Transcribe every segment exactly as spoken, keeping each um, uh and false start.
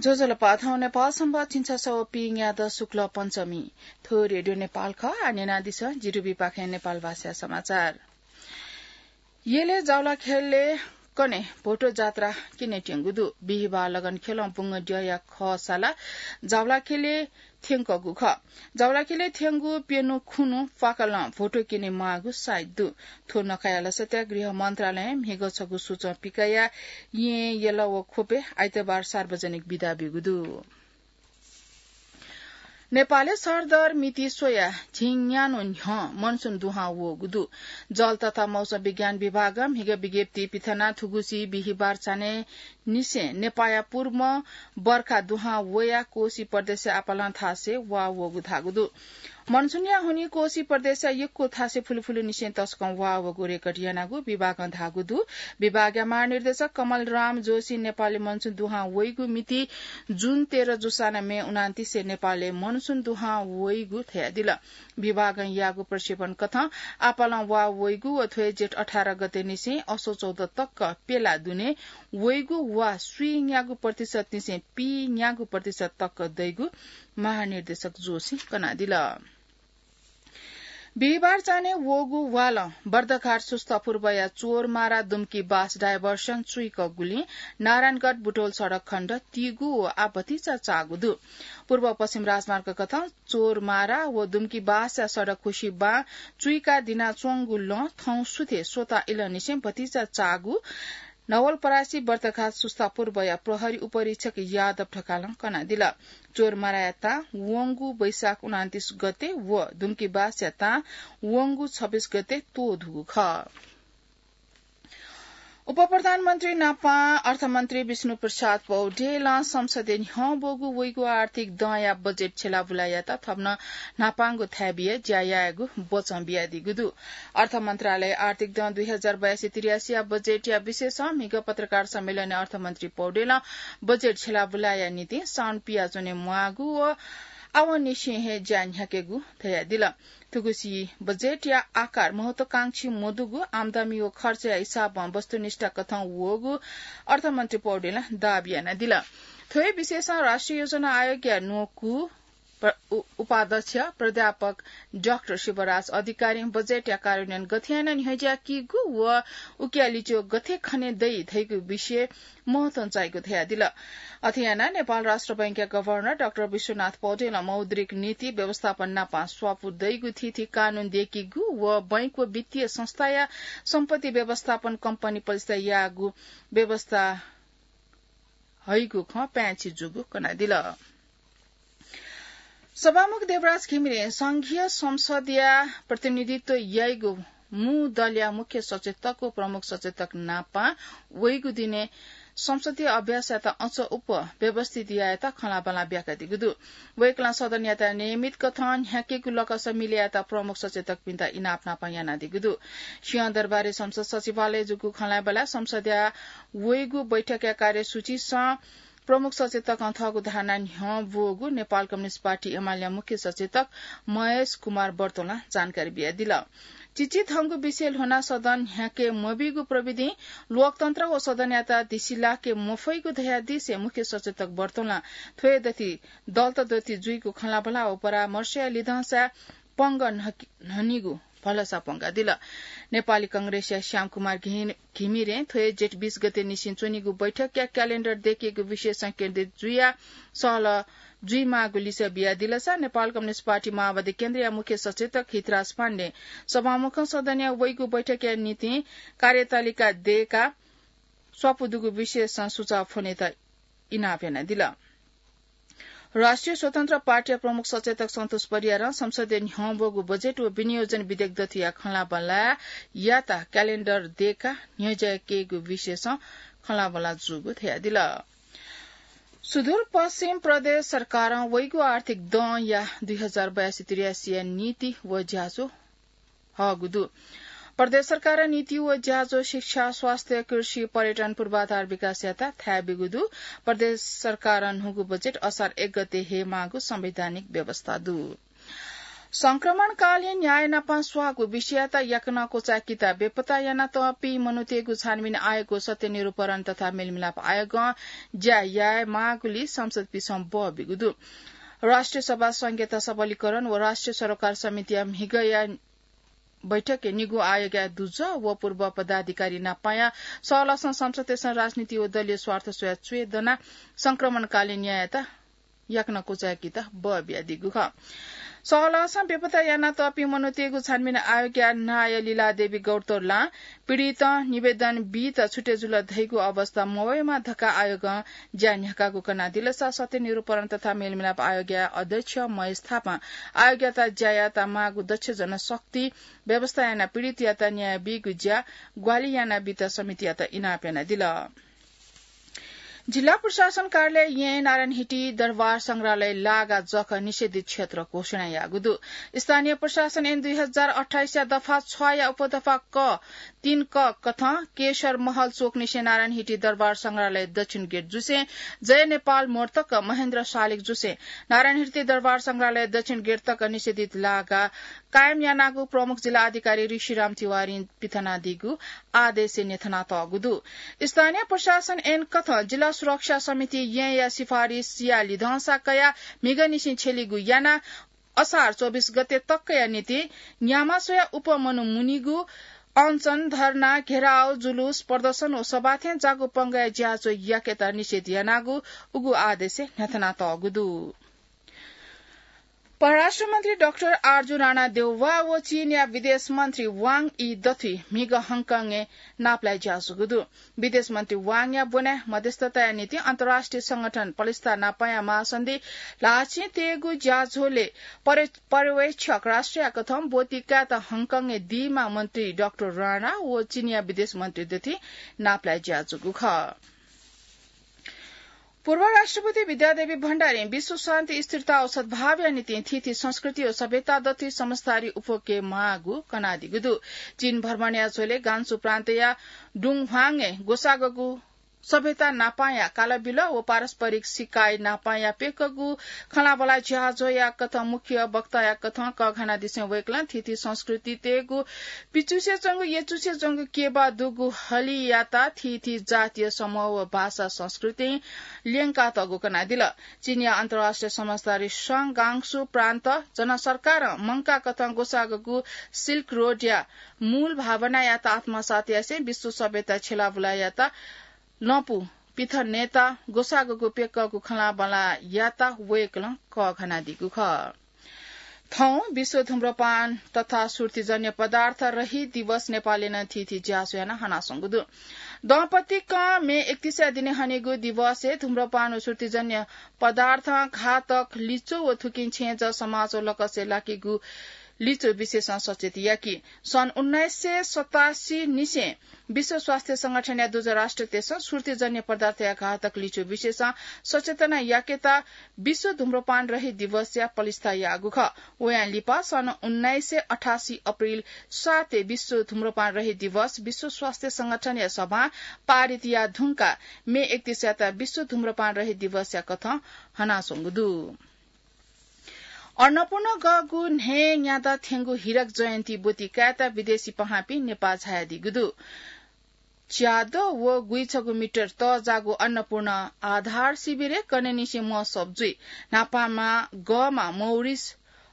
ज्वजलपा, थौं नेपाल संवत् झिंछसः व पीन्यादँ शुक्ल पञ्चमी। थ्व रेडियो नेपाल खः। आः न्यनादिसँ, जि रुबीपाखें नेपाल भाषा समाचार। यलय् जावलाखेलय् कन्हय् भोटो जात्रा क्यनेत्यंगु दु। बिहिबार लगनखेलं बुंगद्यःया खःसाला जावलाखेलय् थ्यंकूगु खः। जावलाखेलय् थ्यंगु प्यन्हु खुन्हु प्वाकलं भोटो क्यने माःगु साइत दु। थ्व नखःया लसताय् गृह मन्त्रालयं म्हिगः छगू सूचं पिकयाः येँ, यल व ख्वपय् आइतबार सार्वजनिक बिदा ब्यूगु दु। नेपालय् सरदर मिति स्वयाः झिंन्यान्हु न्ह्यः मनसुन दुहां वःगु दु। जल तथा मौसम विज्ञान विभागं म्हिगः विज्ञप्ति पिथनाः थुगुसी बिहिबार चान्हय् निसें नेपाःया पूर्वं बर्खा दुहां वयाः कोशी प्रदेशय् आपालं थासय् वा वःगु धाःगु दु। मनसुनया हुनिं कोशी प्रदेशया यक्व थासय् फुलुफुलु निसें तसकं वा वःगु रेकर्ड यानागु विभागं धाःगु दु। विभागया महानिर्देशक कमल राम जोशीं नेपालय् मनसुन दुहां वइगु मिति जुन तेह्र जूसां नं मे उनान्तिसय् नेपालय् मनसुन दुहां वइगु धयादिल। विभागं याःगु प्रक्षेपण कथं आपालं वा वइगु व थ्व हे जेठ अठार गते निसें असो चौध तक प्यला दुने वइगु वा स्वीन्यागू प्रतिशत निसें पीन्यागू प्रतिशत तक दइगु महानिर्देशक जोशीं कनादिल। बिहिबार चान्हय् वःगु वालं बर्दघाट सुस्ता पूर्वया चोरमारा दुम्की बास डायभर्सन चुइकःगुलिं नारायणगढ बुटोल सडक खण्ड तीगु व आः भतिचा चाःगु दु। पूर्व पश्चिम राजमार्ग कथं चोरमारा व दुम्की बासया सडक खुसि बां चुइका दिनाच्वंगु लँ थौं सुथे स्वता इलंनिसें भतिचा चाःगु नवलपरासी बर्दघाट सुस्ता पूर्वया प्रहरी उपरीक्षक यादव ढकालं कनादिल। चोरमाराया तां वंगु वैशाख उनान्तिस गते व दुम्की बासया तां वंगु छब्बीस गते त्वधुगु खः। उपप्रधानमन्त्री नापं अर्थमन्त्री विष्णु प्रसाद पौडेलं संसदय् न्ह्यः ब्वःगु वइगु आर्थिक दँया बजेट छ्यलाबुलायात थप नं न्हापांगु थाय् बियाः ज्या यायेगु वचं बियादीगु दु। अर्थ मन्त्रालय आर्थिक दँ दुई हजार बयासी त्रियासीया बजेटया विषयसं म्हिगः पत्रकार सम्मेलनय् अर्थमन्त्री पौडेलं बजेट छ्यलाबुलाया निंतिं साउन पियाच्वने म्वाःगु व आवंनिसें हे ज्या न्ह्याकेगु धयादिल। थुगुसी बजेटया आकार महत्वाकांक्षी मदुगु, आम्दानी व खर्चया हिसाबं वस्तुनिष्ठ कथं वःगु अर्थमन्त्री पौडेलं दाबी यानादिल। थ्व हे विषयसं राष्ट्रिय योजना आयोगया न्वकू प्र-, उ-, उपाध्यक्ष प्राध्यापक डाक्टर शिवराज अधिकारीं बजेटया कार्यान्वयन गथे यानाः न्ह्यज्याकीगु व उकिया लिच्वः गथे खने दइ धइगु विषय महत्वं चाइगु धयादिल। अथे यानाः नेपाल राष्ट्र बैंकया गभर्नर डाक्टर विश्वनाथ पौडेलं मौद्रिक नीति व्यवस्थापन नापं स्वापू दइगु थीथी कानून दय्कीगु व बैंक व वित्तीय संस्थाया सम्पत्ति व्यवस्थापन कम्पनी पलिस्था याःगु व्यवस्था हइगु खँ पाय्छि जूगु कनादिल। सभामुख देवराज घिमिरें संघीय संसदया प्रतिनिधित्व याइगु मू दलया मुख्य सचेतक व प्रमुख सचेतक नापं वइगु दिने संसदीय अभ्यासयात अझ उप व्यवस्थित यायेत खँल्हाबल्हा ब्याकादीगु दु। वय्कलं सदनयात नियमित कथं न्ह्याकेगु लकस मिले यायेत प्रमुख सचेतकपिन्त इनाप नापं यानादीगु दु। सिंहदरबारय् संसद सचिवालयय् जूगु खँल्हाबल्हाय् संसदया वइगु बैठकया कार्यसूचीसं प्रमुख सचेतकं थःगु धारणा न्ह्यः ब्वःगु नेपाल कम्युनिस्ट पार्टी एमालेया मुख्य सचेतक महेश कुमार बर्तोलं जानकारी बियादिल। चिचिधंगु विषय ल्ह्वनाः सदन न्ह्याके मबीगु प्रविधिं लोकतन्त्र व सदनयात धिसिलाके मफइगु धयादिसें मुख्य सचेतक बर्तोलं थ्व हे दथि दलत दथि जुइगु खँल्हाबल्हा व परामर्शया लिधंसाय् पंगः न्हकि-, न्हनीगु भलसा प्वंकादिल। नेपाली कंग्रेसया श्यामकुमार घि-, घिमिरें थ्व हे जेठ बीस गते निसें च्वनीगु बैठकया क्यालेण्डर दय्केगु विषयसं केन्द्रित जुयाः सहलह जुइमाःगु लिसः बियादिलसा नेपाल कम्युनिस्ट पार्टी माओवादी केन्द्रया मुख्य सचेतक हितराज पाण्डें सभामुखं सदनया वइगु बैठकया निंतिं कार्यतालिका दय्काः स्वापू दुगु विषयसं सुझाव फ्वनेत इनाप यानादिल। राष्ट्रिय स्वतन्त्र पार्टीया प्रमुख सचेतक सन्तोष परियारं संसदय् न्ह्यः ब्वःगु बजेट व विनियोजन विधेयक दथुया खँल्हाबल्हायात क्यालेण्डर दय्काः न्ह्यज्याकेगु विषयसं खँल्हाबल्हा जूगु धयादिल। सुदूरपश्चिम प्रदेश सरकारं वइगु आर्थिक दँया दुई हजार बयासी त्रियासीया नीति व ज्याझ्वः हःगु दु। प्रदेश सरकारं नीति व ज्याझ्वः शिक्षा, स्वास्थ्य, कृषि, पर्यटन, पूर्वाधार विकासयात थाय् ब्यूगु दु। प्रदेश सरकारं न्हूगु बजेट असार एक गते हयेमाःगु संवैधानिक व्यवस्था दु। संक्रमणकालीन न्याय नापं स्वाःगु विषययात याकनं क्वचाय्‌केत बेपत्ता यानातःपिं मनूतय्‌गु छानबिन आयोगं सत्य निरूपण तथा मेलमिलाप आयोगं ज्या यायेमाःगुलिइ सांसदपिसं बः बिगु दु। राष्ट्रिय सभा संघीयता सबलीकरण व राष्ट्रिय सरोकार समितिया म्हिगःया बैठकय् निगू आयोगया दुजः व पूर्व पदाधिकारी नापंया सहलहसं सांसदतय्‌सं राजनीति व दलीय स्वार्थ स्वयाः च्वय् दनाः संक्रमणकालीन न्याययात याकनं क्वचाय्‌केत बः बियादीगु खः। सहलहसं बेपत्ता यानातःपिं मनूतय्‌गु छानबिन आयोगया नायः लीलादेवी गौतोर्लां पीडितं निवेदन बीत छुटे जुल धइगु अवस्था मवयेमा धकाः आयोगं ज्या न्ह्याकागु कनादिलसा सत्य निरूपण तथा मेलमिलाप आयोगया अध्यक्ष महेश थापां आयोगयात ज्या यायेत माःगु दक्ष जनशक्ति व्यवस्था यानाः पीडितयात न्याय बीगु ज्या ग्वाहालि यानाबीत समितियात इनाप यानादिल। जिल्ला प्रशासन कार्यालय यें नारायणहिटी दरबार संग्रहालय लागा जक निषेधित क्षेत्र घोषणा याःगु दु। स्थानीय प्रशासन ऐन दुई हजार अट्ठाइसया दफा छया उपदफा क तीन क कथं केशर महल चोकनिसें नारायणहिटी दरबार संग्रहालय दक्षिण गेट जुसें जय नेपाल मोड तक महेन्द्र शालिग जुसें नारायणहिटी दरबार संग्रहालय दक्षिण गेट तक निषेधित लागा कायम यानागु प्रमुख जिल्ला अधिकारी ऋषिराम तिवारीं पिथनादीगु आदेशय् न्ह्यथनातःगु दु। स्थानीय प्रशासन ऐन कथं जिल्ला सुरक्षा समिति येंया सिफारिसया लिधंसा कयाः म्हिगःनिसें छ्यलीगु यानाः असार चौबिस गते तकया निंतिं न्याम्ह स्वयाः उपमनु मुनीगु अनसन, धर्ना, घेराउ, जुलुस, प्रदर्शन व सभा थें जागु पंगःया ज्याझ्वः याकेत निषेध यानागु उगु आदेशय् न्ह्यथनातःगु दु। परराष्ट्र मन्त्री डाक्टर आरजु राणा देउवा व चीनया विदेश मन्त्री वाङ यी दथुइ म्हिगः हङकङय् नापलाये ज्याझ्वःगु दु। विदेश मन्त्री वाङया ब्वनाय् मध्यस्थताया निंतिं अन्तर्राष्ट्रिय संगठन पलिस्था नापंया महासन्धि ल्हाःचिं तयेगु ज्याझ्वलय् परे-, पर्यवेक्षक राष्ट्रया कथं ब्वति कायेत हङकङय् दीम्ह मन्त्री डाक्टर राणा व चीनया विदेश मन्त्री दथुइ नापलाये ज्याझ्वःगु खः। पूर्व राष्ट्रपति विद्यादेवी भण्डारीं विश्व शान्ति, स्थिरता व सद्भावया निंतिं थीथी संस्कृति व सभ्यता दथुइ समझदारी उप्वके माःगु कनादीगु दु। चीन भ्रमणया झ्वलय् गान्सु प्रान्तया डुङह्वाङय् ग्वसाःगु सभ्यता नापंया कालबिल व पारस्परिक सिकाइ नापंया प्यकःगु खँल्हाबल्हा ज्याझ्वःया कथं मुख्य वक्ताया कथं कःघानादिसें वय्कलं थीथी संस्कृतितय्गु पिचुसे च्वंगु यचुसे च्वंगु केबा दुगु हलियात थीथी जातीय समूह व भाषा संस्कृतिं ल्यंकातःगु कनादिल। चीनया अन्तर्राष्ट्रिय समझदारी संघ गांसु प्रान्त जनसरकारं मंकाः कथं ग्वसाःगु सिल्क रोडया मूल भावनायात आत्मसात यासें विश्व सभ्यता छ्यलाबुलायात लँपु पिथनेत ग्वसाःगु प्यकःगु खँल्हाबल्हायात वय्कलं कःघानादीगु खः। थौं विश्व धूम्रपान तथा सुर्तीजन्य पदार्थ रहित दिवस नेपालय् नं थीथी ज्याझ्वः यानाः हनाच्वंगु दु। दँपतिकं मे एकतीसया दिने हनीगु दिवसय् धूम्रपान व सुर्तीजन्य पदार्थं घातक लिच्वः व थुकिं छेँजः समाज व लकसय् लाकीगु लिच्वः विषयसं सचेत याकी। सन् उन्नाइस सय सतासी निसें विश्व स्वास्थ्य संगठनया दुजः राष्ट्रतय्सं सुर्तीजन्य पदार्थया घातक लिच्वः विषयसं सचेतना याकेत विश्व धूम्रपान रहित दिवसया पलिस्था याःगु खः। वयां लिपा सन् उन्नाइस सय अठासी अप्रिल सातय् विश्व धूम्रपान रहित दिवस विश्व स्वास्थ्य संगठनया सभां पारित याः धुंकाः मे एकतीसयात विश्व धूम्रपान रहित दिवसया कथं हनाच्वंगु दु। अन्नपूर्ण गःगु न्हय् न्यादँ थ्यंगु हीरक जयन्ती ब्वति कायेत विदेशी पहांपिं नेपाः झायादीगु दु। च्यादँ व गुइछगू मिटर तःजाःगु अन्नपूर्ण आधार शिविरय् कन्हय्निसें महोत्सव जुइ। न्हापांम्ह गःमा मौरिस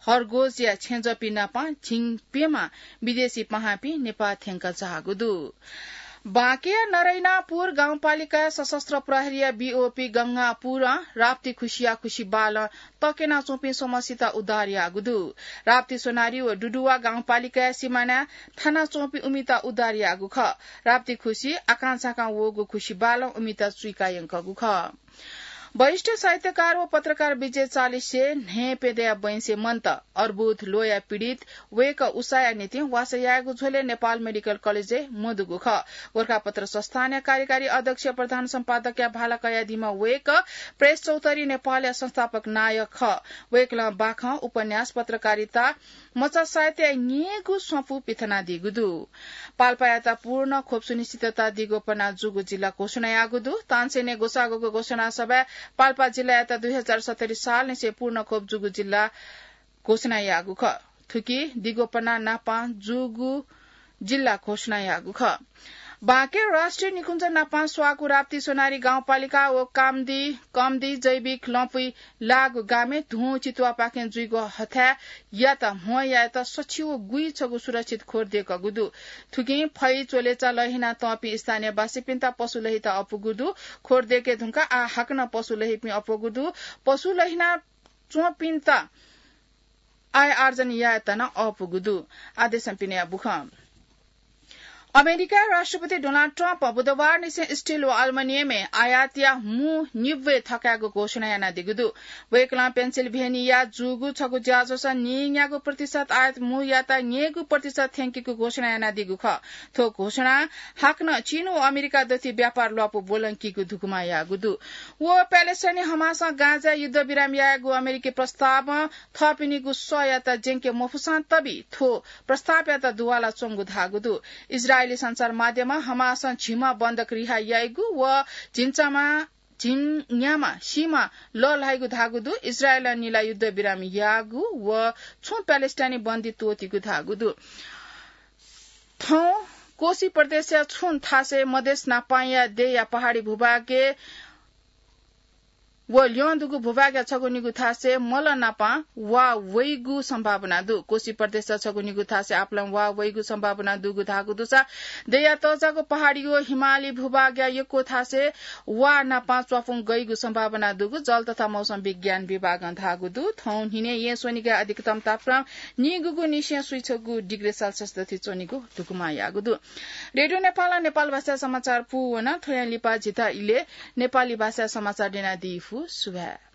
हर्गोजया छेँजःपिं नाप झिंप्यम्ह विदेशी पहांपिं नेपाः थ्यंक झाःगु दु। बाँकेया नरैनापुर गाउँपालिकाया सशस्त्र प्रहरीया बीओपी गंगापुरं राप्ती खुसिया खुसि बालं तक्यनाच्वंपिं स्वम्हसित उद्धार याःगु दु। राप्ती सोनारी व डुडुवा गाउँपालिकाया सिमानाय् थानाच्वंपिं उमित उद्धार याःगु खः। राप्ती खुसि आकांझाकां वःगु खुसि बालं उमित चुइका यंकःगु खः। वरिष्ठ साहित्यकार व पत्रकार विजय चालिसे न्हय् प्यदँया बैंसे मन्त। अर्बुद ल्वःया पीडित वय्कः उसाया निंतिं वासः यायेगु झ्वलय् नेपाल मेडिकल कलेजय् मदुगु खः। गोरखापत्र संस्थानया कार्यकारी अध्यक्ष प्रधान सम्पादकया भाला कयादीम्ह वय्कः प्रेस चौतारी नेपालया संस्थापक नायः खः। वय्कलं बाखं, उपन्यास, पत्रकारिता, मचा साहित्यया न्येगू स्वपु पिथनादीगु दु। पाल्पायात पूर्ण खोप सुनिश्चितता दीगु पना जूगु जिल्ला घोषणा याःगु दु। तानसेनय् ग्वसाःगु घोषणा सभाय् पाल्पा जिल्लायात दुई हजार सत्तरी सालनिसें पूर्ण खोप जूगु जिल्ला घोषणा याःगु खः। थुकी दिगोपना नापां जूगु जिल्ला घोषणा याःगु खः। बाँके राष्ट्रिय निकुञ्ज नापां स्वाःगु राप्ती सोनारी गाउँपालिका व कामदी, कमदी जैविक लँपुइ लाःगु गामय् धुं चितुवापाखें जुइगु हथाय् यात म्हो यायेत सछि व गुइछगू सुरक्षित खोर देकःगु दु। थुकिं फै च्वलेचा लहिना तंपिं स्थानीयवासीपिन्त पशु लहित अपुगु दु। खोर देके धुंका आः हाकनं पशु लहिपिं अपुगु दु। पशु लहिना च्वंपिन्त आय आर्जन यायेत नं अःपुगु दु। आदेशं पिने बुखं। अमेरिका राष्ट्रपति डोनाल्ड ट्रम्प बुधबार निसें स्टिल व अल्मोनियमय् आयात या मू निब्वय् थकायेगु घोषणा यानादीगु दु। वय्कलं पेन्सिल्भेनिया जूगु छगू ज्याझ्वलय् नीन्यागू प्रतिशत आयात मूयात न्यय्गू प्रतिशत थ्यंकीगु घोषणा यानादीगु खः। थ्व घोषणा हाकनं चीन व अमेरिका दथुइ व्यापार ल्वापु ब्वलंकीगु धुकुमा याःगु दु। व प्यालेस्टाइनी हमासं गाजाय् युद्धविराम यायेगु अमेरिकी प्रस्तावं थःपिनिगु सःयात ज्यंके मफुसां तबि थ्व प्रस्तावयात दुवाला च्वंगु धाःगु दु। इजरायली सञ्चार माध्यमं हमासं झिम्ह बन्धक रिहा याइगु व झिंचमा, झिंन्यामा सीमा लःल्हाइगु धाःगु दु। इजरायलं निला युद्धविराम याःगु व छुं प्यालेस्टाइनी बन्दी त्वःतीगु धाःगु दु। थौं कोशी प्रदेशया छुं थासय् मधेस नापांया देया पहाडी भूभागय् व ल्यं दुगु भूभागया छगू निगू थासय् मल नापां वा वइगु सम्भावना दु। कोशी प्रदेशया छगू निगू थासय् आपालं वा वइगु सम्भावना दुगु धाःगु दुसा देया तःजाःगु पहाडी व हिमाली भूभागया यक्व थासय् वा नापां च्वापुं गइगु सम्भावना दुगु जल तथा मौसम विज्ञान विभागं धाःगु दु। थौं न्हिनय् येँ स्वनिगय् अधिकतम तापक्रम निगूगु निसें स्वीछगू डिग्री सेल्सियस दथुइ च्वनीगु धुकुमा याःगु दु। रेडियो नेपालं नेपाल भाषा समाचार पूवन। थ्वयां लिपा झीत इलय् नेपाली भाषा समाचार न्यनादी फु। सुभाय्।